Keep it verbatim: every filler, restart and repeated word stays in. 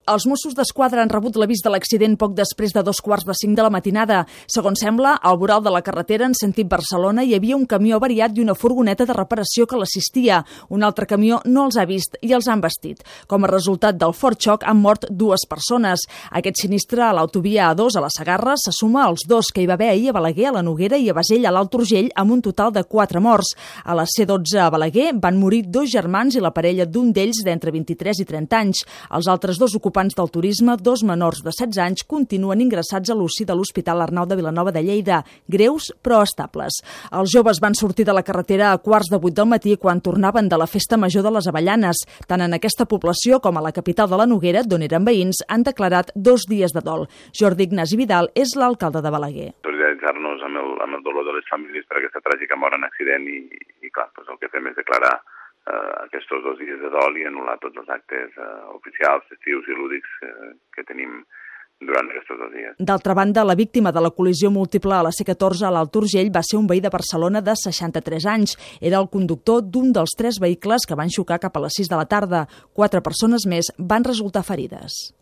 Els Mossos d'Esquadra han rebut l'avís de l'accident poc després de dos quarts de cinc de la matinada. Segons sembla, al voral de la carretera en sentit Barcelona hi havia un camió avariat i una furgoneta de reparació que l'assistia. Un altre camió no els ha vist i els han vestit. Com a resultat del fort xoc han mort dues persones. Aquest sinistre a l'autovia A dos a la Segarra se suma als dos que hi va haver ahir a Balaguer, a la Noguera i a Basell, a l'Alt Urgell, amb un total de quatre morts. A la C dotze a Balaguer van morir dos germans i la parella d'un d'ells d'entre vint-i-tres i trenta anys. Els altres dos ocupants del turisme, dos menors de setze anys, continuen ingressats a l'U C I de l'Hospital Arnau de Vilanova de Lleida, greus però estables. Els joves van sortir de la carretera a quarts de vuit del matí quan tornaven de la festa major de les Avellanes. Tant en aquesta població com a la capital de la Noguera, d'on eren veïns, han declarat dos dies de dol. Jordi Ignasi Vidal és l'alcalde de Balaguer. Solidaritzar-nos amb el, amb el dolor de les famílies per aquesta tràgica mort en accident i, i clar, doncs el que fem és declarar Uh, aquests dos dies de dol i anul·lar tots els actes uh, oficials, festius i lúdics uh, que tenim durant aquests dos dies. D'altra banda, la víctima de la col·lisió múltiple a la C catorze a l'Alt Urgell va ser un veí de Barcelona de seixanta-tres anys. Era el conductor d'un dels tres vehicles que van xocar cap a les sis de la tarda. Quatre persones més van resultar ferides.